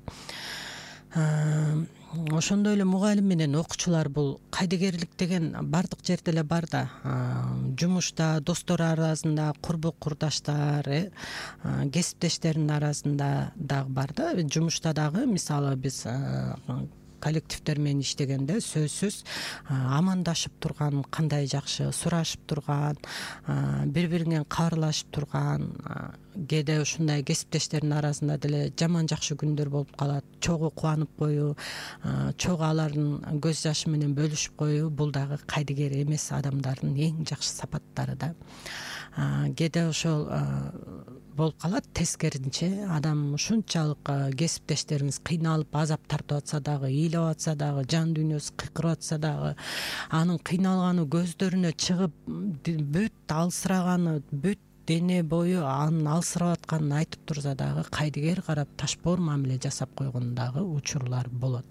Ошондой эле мугалим менен окуучулар, бул кайдыгерлик деген бардык жерде эле бар да. Жумушта, достор арасында, курбу курдаштар, кесиптештердин арасында дагы бар да. Жумушта дагы мисалы биз коллективдер менен иштегенде сөзсүз амандашып турган, кандай жакшы сурашып турган, бири-бириңен кабарлашып турган, кээде ушундай кесиптештердин арасында деле жаман жакшы күндөр болуп калат. Чогуу кубанып коюу, чогуу алардын көз жашы менен бөлүшүп коюу, бул дагы кайдыгер эмес адамдардын эң жакшы сапаттары да. Кээде ошол болуп калат. Тескерисинче адам ушунчалык кесиптештериңиз кыйналып азап тартып атса дагы, ыйлап атса дагы, жан дүйнөсү кыйкырып атса дагы, анын кыйналганы көздөрүнө чыгып, бүт алсыраганы, бүт дене бою анын алсырап атканын айтып турса дагы, кайдыгер карап ташбоор мамиле жасап койгон дагы учурлар болот.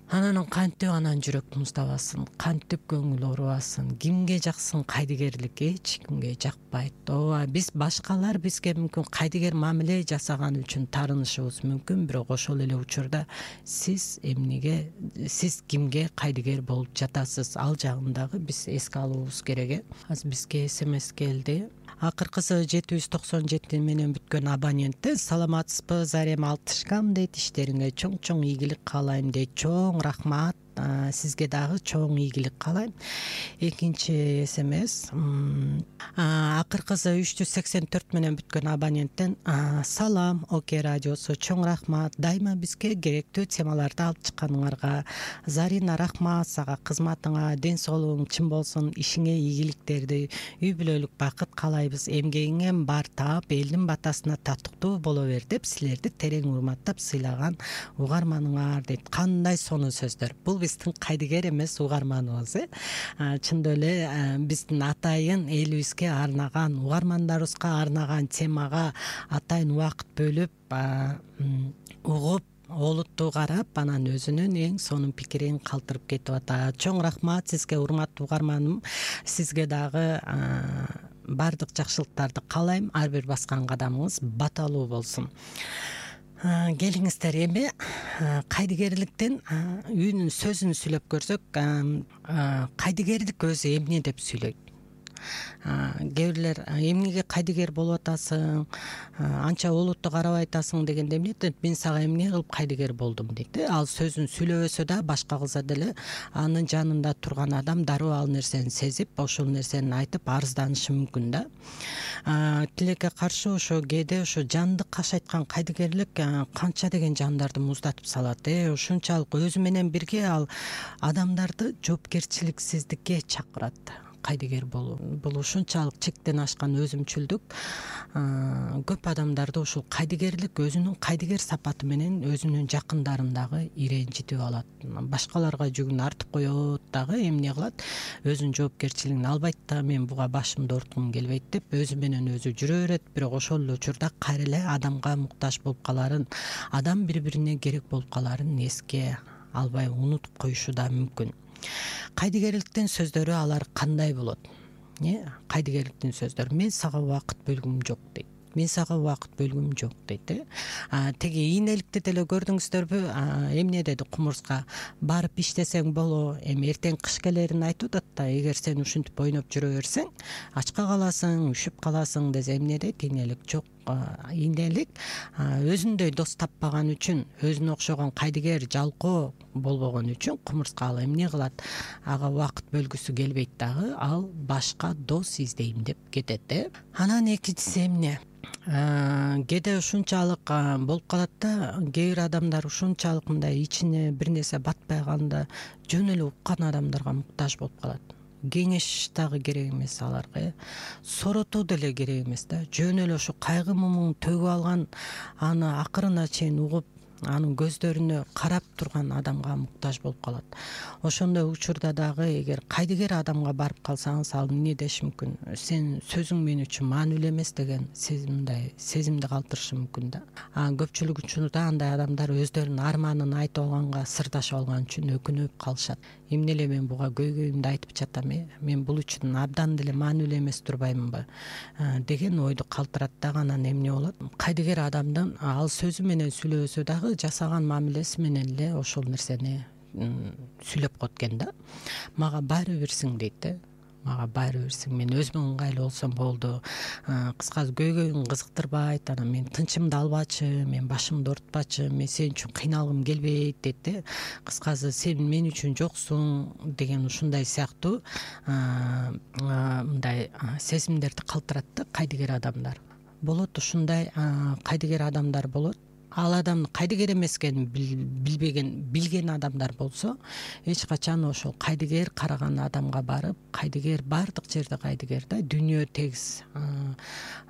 Анан кантип анан жүрөк муздабасын, кантип көңүл оорубасын, кимге жаксын кайдыгерлик? Эч кимге жакпайт. Ооба, биз башкалар бизге мүмкүн кайдыгер мамиле жасаган үчүн таарынышыбыз мүмкүн, бирок ошол эле учурда сиз кимге кайдыгер болуп жатасыз? Ал жагын дагы биз эске алуубуз керек. Азыр бизге СМС келди. Акыркысы 797 менен бүткөн абоненттер саламатсызбы, зарем алтышкам дейт. Иштериңе чоң ийгилик каалайм дейт. Чоң рахмат. Сизге дагы чоң ийгилик каалайм. Экинчи СМС. Акыркысы 384 менен бүткөн абоненттен салам Оке радиосу, чоң рахмат. Дайыма бизге керектүү темаларды алып чыкканыңарга. Зарина, рахмат сага, кызматыңа ден соолугуң чын болсун, ишиңе ийгиликтерди, үй бүлөлүк бакыт каалайбыз. Эмгегиңе бар таап, элдин батасына татыктуу боло бер деп силерди терең урматтап сыйлаган угарманыңар дейт. Кандай сонун сөздөр. Бул биздин кайдыгер эмес угарманыбыз, чындап эле биздин атайын элибизге арнаган, угармандарыбызга арнаган темага атайын убакыт бөлүп, угуп, олуттуу карап, анан өзүнүн эң сонун пикирин калтырып кетип атат. Чоң рахмат сизге, урматтуу угарманым. Сизге дагы бардык жакшылыктарды каалайм. Ар бир баскан кадамыңыз баталуу болсун. Келиңиздер, эми кайдыгерликтен үнүн сөзүн сүйлөп көрсөк, кайдыгерлик өзү эмне деп сүйлөйт? Кээ бирлер эмнеге кайдыгер болуп атасың, анча олуттуу карабай атасың дегенде эмне дейт? Мен сага эмне кылып кайдыгер болдум дейт. Ал сөзүн сүйлөбөсө да, башка кылса деле анын жанында турган адам дароо ал нерсени сезип, ошол нерсени айтып арызданышы мүмкүн да. Тилекке каршы ошо кээде ошо жанды кашайткан кайдыгерлик канча деген жандарды муздатып салат. Ушунчалык өзү менен бирге ал адамдарды жоопкерчиликсиздикке чакырат. Кайдыгер болуу бул ушунчалык чектен ашкан өзүмчүлдүк. Көп адамдарды ушул кайдыгерлик өзүнүн кайдыгер сапаты менен өзүнүн жакындарын дагы иренжитип алат. Башкаларга жүгүн артып коет дагы, эмне кылат? Өзүнүн жоопкерчилигин албайт да, мен буга башымды ооруткум келбейт деп өзү менен өзү жүрө берет. Бирок ошол эле учурда кайра эле адамга муктаж болуп каларын, адам бири-бирине керек болуп каларын эске албай унутуп коюшу да мүмкүн. Кайдыгерликтин сөздөрү алар кандай болот? Кайдыгерликтин сөздөрү: мен сага убакыт бөлгүм жок дейт. Мен сага убакыт бөлгүм жок дейт. Теги ийнеликти деле көрдүңүздөрбү? Эмне деди кумурска? Барып иштесең боло. Эми эртең кыш келерин айтып атат да, эгер сен ушинтип ойноп жүрө берсең, ачка каласың, үшүп каласың десе эмне дейт? Ийнелик жок. Ийнелик өзүндөй дос таппаган үчүн, өзүнө окшогон кайдыгер жалкоо болбогон үчүн кумурска ал эмне кылат? Ага убакыт бөлгүсү келбейт дагы, ал башка дос издейм деп кетет. Анан экинчиси эмне? Кээде ушунчалык болуп калат да, кээ бир адамдар ушунчалык мындай ичине бир нерсе батпай калганда жөн эле уккан адамдарга муктаж болуп калат. Кеңеш дагы керек эмес аларга, соротуу деле керек эмес да. Жөн эле ошо кайгы мумун төгүп алган, аны акырына чейин угуп, анын көздөрүнө карап турган адамга муктаж болуп калат. Ошондой учурда дагы эгер кайдыгер адамга барып калсаңыз, ал эмне деши мүмкүн? Сен сөзүң мен үчүн маанилүү эмес деген сезимди калтырышы мүмкүн да. Көпчүлүк учурда андай адамдар өздөрүнүн арманын айтып алганга, сырдашып алган үчүн өкүнүп калышат. Эмне эле мен буга көйгөйүмдү айтып жатам, мен бул үчүн абдан деле маанилүү эмес турбаймынбы деген ойду калтырат дагы. Анан эмне болот? Кайдыгер адамдын ал сөзү менен сүйлөбөсө дагы жасаган мамилеси менен эле ошол нерсени сүйлөп коет экен да. Мага баары бирсиң дейт. Мага баары бирсиң, мен өзүмө ыңгайлуу болсом болду. Кыскасы көйгөйүң кызыктырбайт, анан мен тынчымды албачы, мен башымды оорутпачы, мен сен үчүн кыйналгым келбейт дейт. Кыскасы сен мен үчүн жоксуң деген ушундай сыяктуу мындай сезимдерди калтырат да кайдыгер адамдар. Болот ушундай кайдыгер адамдар болот. Ал адамдын кайдыгер эмес экенин билген адамдар болсо, эч качан ошол кайдыгер караган адамга барып, кайдыгер бардык жерде кайдыгер да, дүйнө тегиз.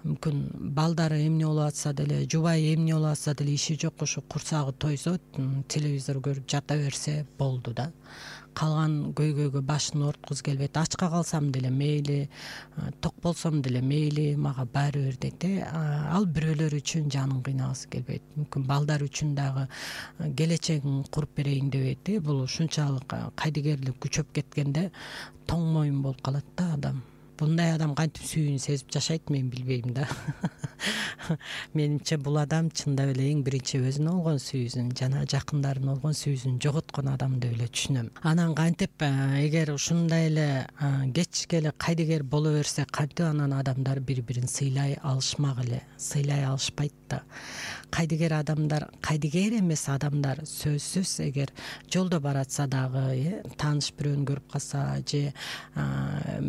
Мүмкүн балдары эмне болуп атса деле, жубайы эмне болуп атса деле иши жок, ошо курсагы тойсо, телевизор көрүп жата берсе болду да. Калган көйгөйгө башын ооруткузу келбейт. Ачка калсам деле мейли, ток болсом деле мейли, мага баары бир дейт. Ал бирөөлөр үчүн жанын кыйнагысы келбейт. Мүмкүн балдар үчүн дагы келечегин куруп берейин дебейт. Бул ушунчалык кайдыгерлик күчөп кеткенде тоң моюн болуп калат да адам. Bunday адам кантип сүйүүнү сезип жашайт, мен билбейм да. Менимче бул адам чындап эле эң биринчи өзүнө болгон сүйүүсүн жана жакындарына болгон сүйүүсүн жоготкон адам деп эле түшүнөм. Анан кантип эгер ушундай эле кечке эле кайдыгер боло берсе кантип анан адамдар бири бирин сыйлай алышмак эле, сыйлай алышпайт да. Кайдыгер адамдар, кайдыгер эмес адамдар сөзсүз эгер жолдо баратса дагы, тааныш бирөөнү көрүп калса же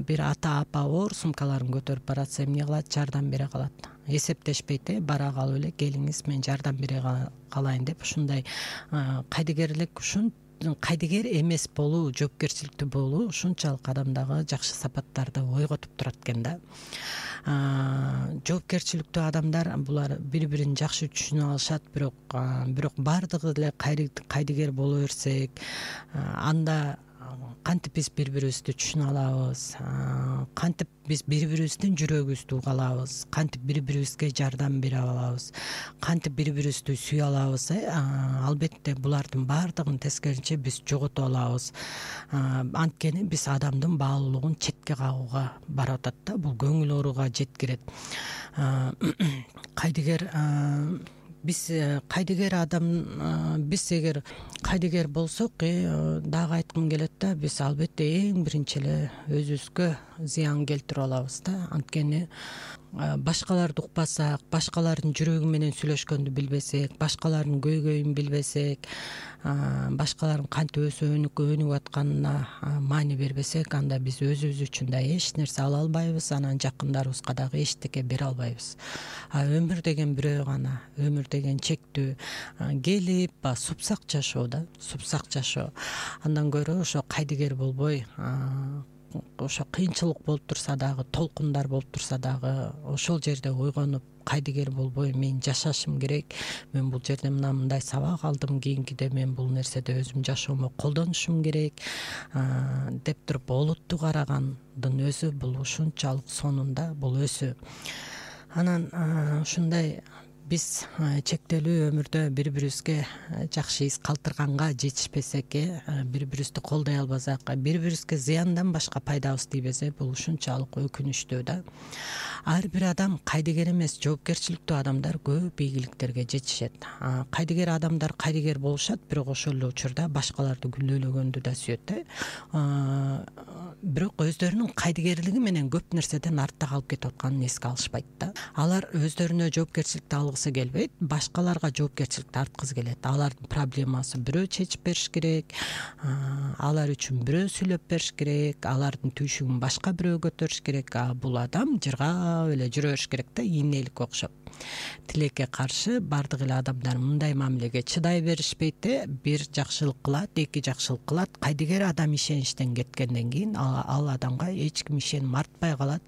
бир ата апа оор сумкаларын көтөрүп баратса эмне кылат? Жардам бере калат. Эсептешпейт, бара калып эле келиңиз мен жардам бере калайын деп ушундай кайдыгерлик, кайдыгер эмес болуу, жоопкерчиликтүү болуу ушунчалык адамдагы жакшы сапаттарды ойготуп турат экен да. Жоопкерчиликтүү адамдар булар бири-бирин жакшы түшүнө алышат, бирок баардыгы эле кайдыгер боло берсек, анда кантип биз бири-бирибизди түшүнө алабыз, кантип биз бири-бирибиздин жүрөгүбүздү уга алабыз, кантип бири-бирибизге жардам бере алабыз, кантип бири-бирибизди сүйө алабыз. Албетте булардын баардыгын тескерисинче биз жоготуп алабыз. Анткени биз адамдын баалуулугун четке кагууга барып атат да, бул көңүл ооруга жеткирет. Кайдыгер биз кайдыгер адам, биз эгер кайдыгер болсок, дагы айткым келет да, биз албетте эң биринчи эле өзүбүзгө зыян келтирип алабыз да. Анткени башкаларды укпасак, башкалардын жүрөгү менен сүйлөшкөндү билбесек, башкалардын көйгөйүн билбесек, башкалардын кантип өнүгүп атканына маани бербесек, анда биз өзүбүз үчүн да эч нерсе ала албайбыз, анан жакындарыбызга дагы эчтеке бере албайбыз. Өмүр деген бирөө гана, өмүр деген чектүү. Келип супсак жашоо да, супсак жашоо. Андан көрө ошо кайдыгер болбой, ошо кыйынчылык болуп турса дагы, толкундар болуп турса дагы, ошол жерде ойгонуп, кайдыгер болбой мен жашашым керек, мен бул жерде мындай сабак алдым, кийинкиде мен бул нерседе өзүм жашоомо колдонушум керек деп туруп олуттуу карагандын өзү бул ушунчалык сонунда бул өзү. Анан ушундай биз чектелүү өмүрдө бири-бирибизге жакшы из калтырганга жетишпесек, бири-бирибизди колдой албасак, бири-бирибизге зыяндан башка пайдабыз тийбесе, бул ушунчалык өкүнүчтүү да. Ар бир адам кайдыгер эмес, жоопкерчиликтүү адамдар көп ийгиликтерге жетишет. Кайдыгер адамдар кайдыгер болушат, бирок ошол эле учурда башкаларды күнөөлөгөндү да сүйөт. Бирок өздөрүнүн кайдыгерлиги менен көп нерседен артта калып кетип атканын эске алышпайт да. Алар өздөрүнө жоопкерчиликти алгысы келбейт, башкаларга жоопкерчиликти арткысы келет. Алардын проблемасын бирөө чечип бериш керек, алар үчүн бирөө сүйлөп бериш керек, алардын түйшүгүн башка бирөө көтөрүш керек. Бул адам жыргап эле жүрө бериш керек да, ийнеликке окшоп. Тилекке каршы бардык эле адамдар мындай мамилеге чыдай беришпейт. Бир жакшылык кылат, эки жакшылык кылат. Кайдыгер адам ишеничтен кеткенден кийин ал адамга эч ким ишеним артпай калат.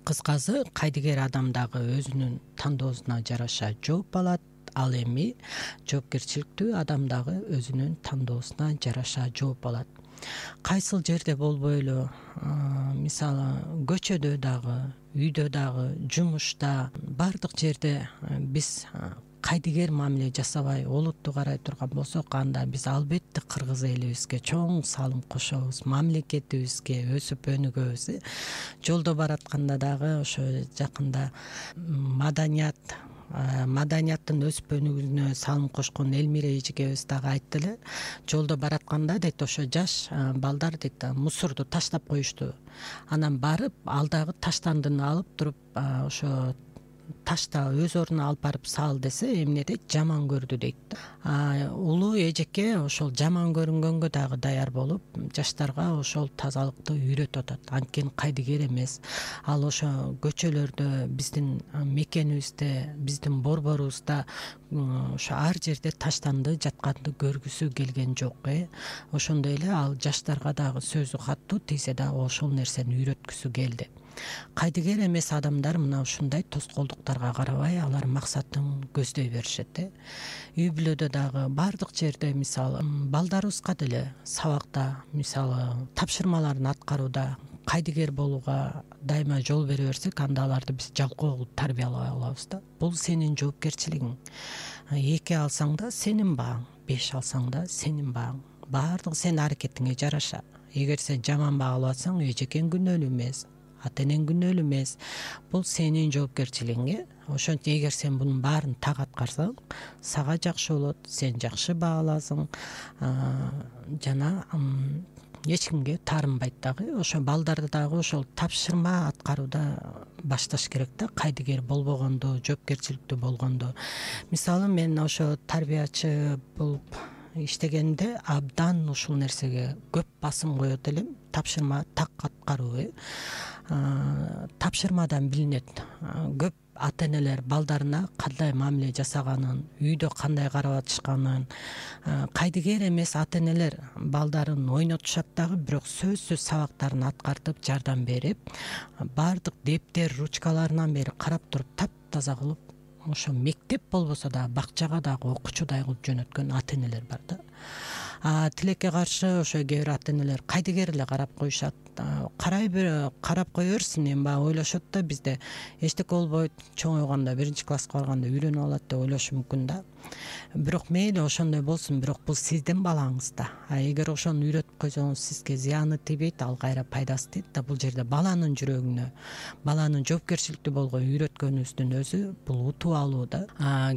Кыскасы, кайдыгер адам дагы өзүнүн тандоосуна жараша жооп алат. Ал эми жоопкерчиликтүү адам дагы өзүнүн тандоосуна жараша жооп алат. Кайсыл жерде болбойлу, мисалы көчөдө дагы, үйдө дагы, жумушта, бардык жерде биз кайдыгер мамиле жасабай олуттуу карай турган болсок, анда биз албетте кыргыз элибизге чоң салым кошобуз, мамлекетибизге өсүп өнүгөбүз. Жолдо баратканда дагы ошо жакында маданияттын өсүп өнүгүүсүнө салым кошкон Элмира эжекебиз дагы айтты эле. Жолдо баратканда дейт, ошо жаш балдар дейт, мусорду таштап коюшту. Анан барып алдагы таштандыны алып туруп, ошо ташта өз ордуна алып барып сал десе, эмне дейт, жаман көрдү дейт. Улуу эжеке ошол жаман көрүнгөнгө дагы даяр болуп, жаштарга ошол тазалыкты үйрөтүп атат. Анткени кайдыгер эмес. Ал ошо көчөлөрдө, биздин мекенибизде, биздин борборубузда ошо ар жерде таштанды жатканды көргүсү келген жок. Ошондой эле ал жаштарга дагы сөзү каттуу тийсе дагы ошол нерсени үйрөткүсү келди. Кайдыгер эмес адамдар мына ушундай тоскоолдуктарга карабай, алар максатын көздөй беришет. Үй бүлөдө дагы бардык жерде, мисалы балдарыбызга деле сабакта, мисалы тапшырмаларын аткарууда кайдыгер болууга дайыма жол бере берсек, анда аларды биз жалкоо кылып тарбиялай алабыз да. Бул сенин жоопкерчилигиң. 2 алсаң да сенин багың, 5 алсаң да сенин багың. Бардыгы сенин аракетиңе жараша. Эгер сен жаман баа алып атсаң, эжекең күнөөлүү эмес. ата энең күнөөлүү эмес. Бул сенин жоопкерчилигиң. Ошентип эгер сен бунун баарын так аткарсаң, сага жакшы болот, сен жакшы бааласың, жана эч кимге таарынбайт дагы. Ошо балдарды дагы ошол тапшырма аткарууда башташ керек да, кайдыгер болбогондо, жоопкерчиликтүү болгондо. Мисалы мен ошо тарбиячы болуп иштегенде абдан ушул нерсеге көп басым коет элем. Тапшырма так аткаруу. Тапшырмадан билинет. Көп ата энелер балдарына кандай мамиле жасаганын, үйдө кандай карап атышканын. Кайдыгер эмес ата энелер балдарын ойнотушат дагы, бирок сөзсүз сабактарын аткартып, жардам берип, баардык дептер, ручкаларынан бери карап туруп таптаза кылып, ошо мектеп болбосо да бакчага дагы окуучудай кылып жөнөткөн ата энелер бар да. Тилекке каршы ошо кээ бир ата энелер кайдыгер эле карап коюшат. Карап кое берсин, эми баягы ойлошот да, бизде эчтеке болбойт, чоңойгондо 1-класска барганда үйрөнүп алат деп ойлошу мүмкүн да. Бирок мейли ошондой болсун, бирок бул сиздин балаңыз да. Эгер ошону үйрөтүп койсоңуз, сизге зыяны тийбейт, ал кайра пайдасы тийет да. Бул жерде баланын жүрөгүнө, баланын жоопкерчиликтүү болгон үйрөткөнүбүздүн өзү бул утуп алуу да.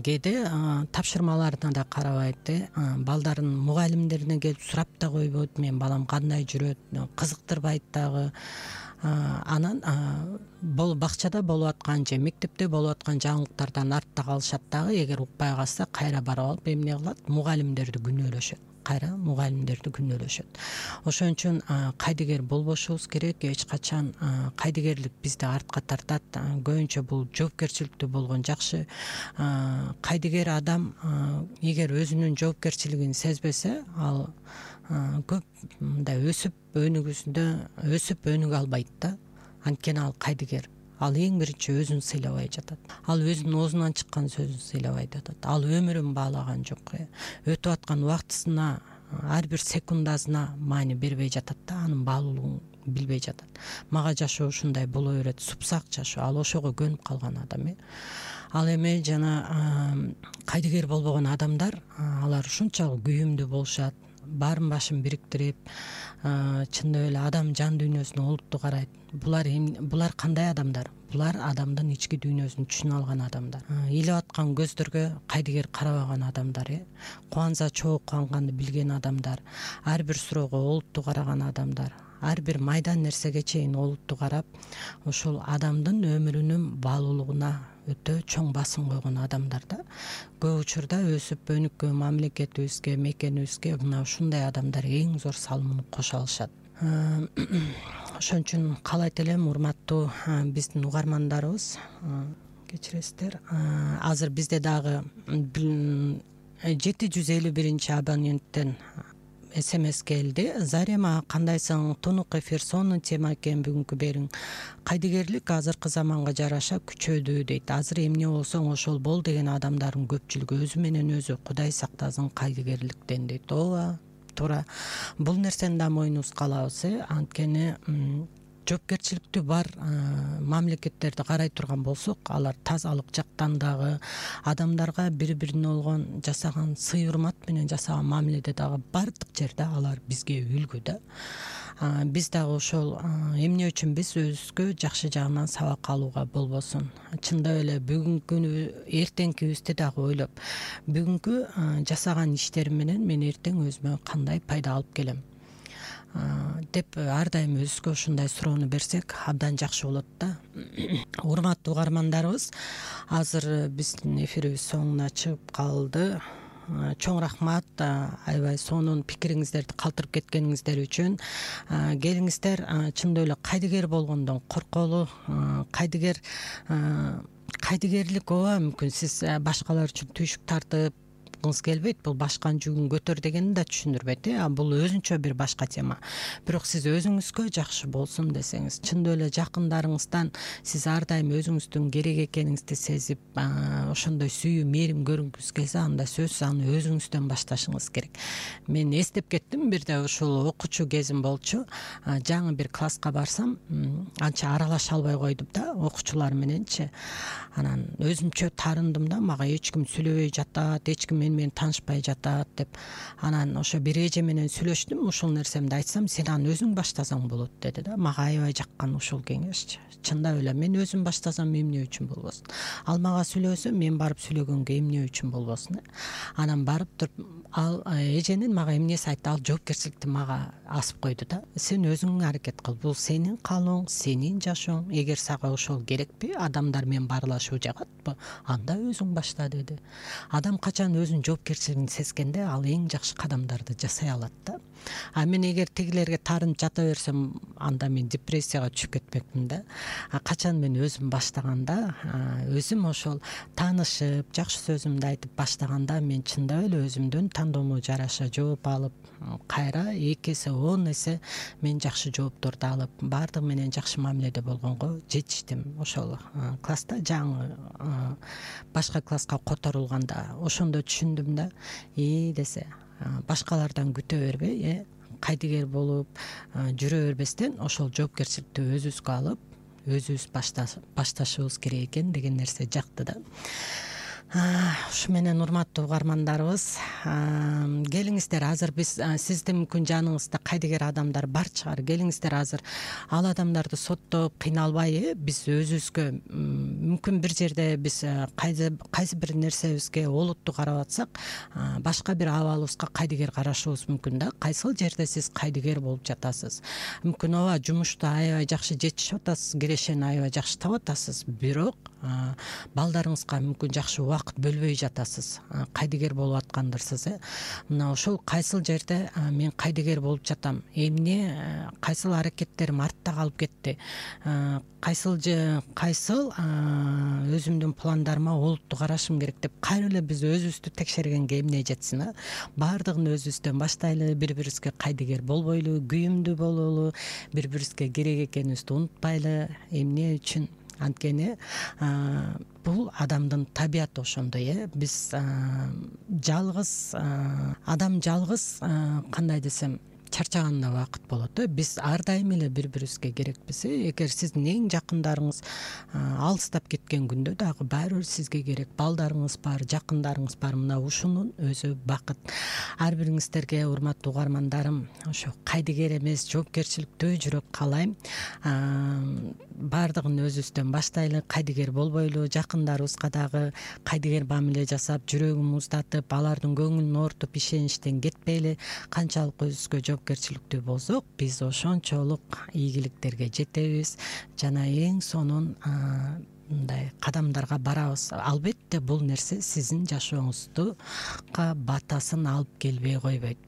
Кээде тапшырмаларына да карабайт, балдарын мугалимдерине келип сурап да койбойт, мен балам кандай жүрөт, кызыктырбайт дагы. Анан бакчада болуп аткан же мектепте болуп аткан жаңылыктардан артта калышат дагы. Эгер укпай калса кайра барып алып эмне кылат? Мугалимдерди күнөөлөшөт. Ошон үчүн кайдыгер болбошубуз керек. Эч качан кайдыгерлик бизди артка тартат. Көбүнчө бул жоопкерчиликтүү болгон жакшы. Кайдыгер адам эгер өзүнүн жоопкерчилигин сезбесе, ал көп мындай өсүп өнүгө албайт да. Анткени ал кайдыгер. Ал эң биринчи өзүн сыйлабай жатат. Ал өзүнүн оозунан чыккан сөзүн сыйлабай жатат. Ал өмүрүн баалаган жок. Өтүп аткан убактысына, ар бир секундасына маани бербей жатат да, анын баалуулугун билбей жатат. Мага жашоо ушундай боло берет, супсак жашоо. Ал ошого көнүп калган адам. Ал эми жана кайдыгер болбогон адамдар, алар ушунчалык күйүмдүү болушат. Баарын башын бириктирип, чындап эле адам жан дүйнөсүнө олуттуу карайт. Булар кандай адамдар? Булар адамдын ички дүйнөсүн түшүнө алган адамдар. Илип аткан көздөргө кайдыгер карабаган адамдар, кубанса чогуу кубанганды билген адамдар, ар бир суроого олуттуу караган адамдар, ар бир майдан нерсеге чейин олуттуу карап, ошол адамдын өмүрүнүн баалуулугуна өтө чоң басым койгон адамдар да. Көп учурда өсүп өнүккөн мамлекетибизге, мекенибизге мына ушундай адамдар эң зор салымын кошо алышат. Ошон үчүн каалайт элем, урматтуу биздин угармандарыбыз, кечиресиздер, азыр бизде дагы 751 абоненттен СМС келди. Зарема, кандайсың? Тунук эфир сонун тема экен бүгүнкү бериң. Кайдыгерлик азыркы заманга жараша күчөдү дейт. Азыр эмне болсоң ошол бол деген адамдардын көпчүлүгү өзү менен өзү Кудай сактасын кайдыгерликтен дейт. Ооба, туура. Бул нерсени да мойнубузга алабыз. Анткени жоопкерчиликтүү бар мамлекеттерди карай турган болсок, алар тазалык жактан дагы, адамдарга бири-бирине болгон жасаган сый-урмат менен жасаган мамиледе дагы бардык жерде алар бизге үлгү да. Биз дагы ошол эмне үчүн биз өзүбүзгө жакшы жагынан сабак алууга болбосун. Чындап эле бүгүнкү эртеңкибизди дагы ойлоп, бүгүнкү жасаган иштерим менен мен эртең өзүмө кандай пайда алып келем деп ар дайым өзүбүзгө ушундай суроону берсек абдан жакшы болот да. Урматтуу угармандарыбыз, азыр биздин эфирибиз соңуна чыгып калды. Чоң рахмат, аябай сонун пикириңиздерди калтырып кеткениңиздер үчүн. Келиңиздер, чындап эле кайдыгер болгондон корколу. Кайдыгерлик ооба, мүмкүн сиз башкалар үчүн түйшүк тартып келбейт, бул башканын жүгүн көтөр дегенди да түшүндүрбөйт. Бул өзүнчө бир башка тема. Бирок сиз өзүңүзгө жакшы болсун десеңиз, чындап эле жакындарыңыздан сиз ар дайым өзүңүздүн керек экениңизди сезип, ошондой сүйүү, мээрим көргүңүз келсе, анда сөзсүз аны өзүңүздөн башташыңыз керек. Мен эстеп кеттим, бирде ушул окуучу кезим болчу. Жаңы бир класска барсам, анча аралаша албай койдум да, окуучулар мененчи. Анан өзүмчө тарындым да, мага эч ким сүйлөбөй жатат, эч ким менен таанышпай жатат деп. Анан ошо бир эже менен сүйлөштүм, ушул нерсемди айтсам, сен аны өзүң баштасаң болот деди да. Мага аябай жаккан ушул кеңешчи. Чындап эле мен өзүм баштасам эмне үчүн болбосун? Ал мага сүйлөсө, мен барып сүйлөгөнгө эмне үчүн болбосун? Анан барып туруп ал эженин мага эмнеси айтты, ал жоопкерчиликти мага асып койду да. Сен өзүң аракет кыл, бул сенин каалооң, сенин жашооң. Эгер сага ошол керекпи, адамдар менен баарлашуу жагатпы, анда өзүң башта деди. Адам качан өзүнүн жоопкерчилигин сезгенде, ал эң жакшы кадамдарды жасай алат да. А мен эгер тигилерге таарынып жата берсем, анда мен депрессияга түшүп кетмекмин да. Качан мен өзүм баштаганда, өзүм ошол таанышып, жакшы сөзүмдү айтып баштаганда, мен чындап эле өзүмдүн тандоомо жараша жооп алып, кайра 2 эсе 10 эсе мен жакшы жоопторду алып, баардыгы менен жакшы мамиледе болгонго жетиштим. Ошол класста жаңы башка класска которулганда ошондо түшүндүм да. Десе, башкалардан күтө бербей, кайдыгер болуп жүрө бербестен ошол жоопкерчиликти өзүбүзгө алып, өзүбүз башташыбыз керек экен деген нерсе жакты да. Ушу менен урматтуу угармандарыбыз, келиңиздер, азыр биз сиздин мүмкүн жаныңызда кайдыгер адамдар бар чыгар. Келиңиздер, азыр ал адамдарды соттоп кыйналбай, биз өзүбүзгө мүмкүн бир жерде биз кайсы бир нерсебизге олуттуу карап атсак, башка бир абалыбызга кайдыгер карашыбыз мүмкүн да. Кайсыл жерде сиз кайдыгер болуп жатасыз? Мүмкүн ооба жумушта аябай жакшы жетишип атасыз, кирешени аябай жакшы таап атасыз, бирок балдарыңызга мүмкүн жакшы убакыт бөлбөй жатасыз, кайдыгер болуп аткандырсыз. Мына ошол кайсыл жерде мен кайдыгер болуп жатам, эмне кайсыл аракеттерим артта калып кетти, кайсыл өзүмдүн пландарыма олуттуу карашым керек деп кайра эле биз өзүбүздү текшергенге эмне жетсин? Баардыгын өзүбүздөн баштайлы, бири-бирибизге кайдыгер болбойлу, күйүмдүү бололу, бири-бирибизге керек экенибизди унутпайлы. Эмне үчүн? Анткени бул адамдын табияты ошондой. Биз жалгыз, адам жалгыз, кандай десем, чарчаганда убакыт болот. Биз ар дайым эле бири-бирибизге керекпиз. Эгер сиздин эң жакындарыңыз алыстап кеткен күндө дагы баары бир сизге керек. Балдарыңыз бар, жакындарыңыз бар. Мына ушунун өзү бакыт. Ар бириңиздерге, урматтуу угармандарым, ошо кайдыгер эмес, жоопкерчиликтүү жүрөк каалайм. Баардыгын өзүбүздөн баштайлы, кайдыгер болбойлу, жакындарыбызга дагы кайдыгер мамиле жасап, жүрөгүн муздатып, алардын көңүлүн оорутуп, ишеничтен кетпейли. Канчалык өзүбүзгө жоопкерчиликтүү болсок, биз ошончолук ийгиликтерге жетебиз жана эң сонун мындай кадамдарга барабыз. Албетте бул нерсе сиздин жашооңузга батасын алып келбей койбойт.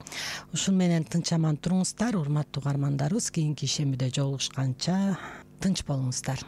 Ушун менен тынч аман туруңуздар, урматтуу угармандарыбыз. Кийинки ишембиде жолугушканча тынч болуңуздар.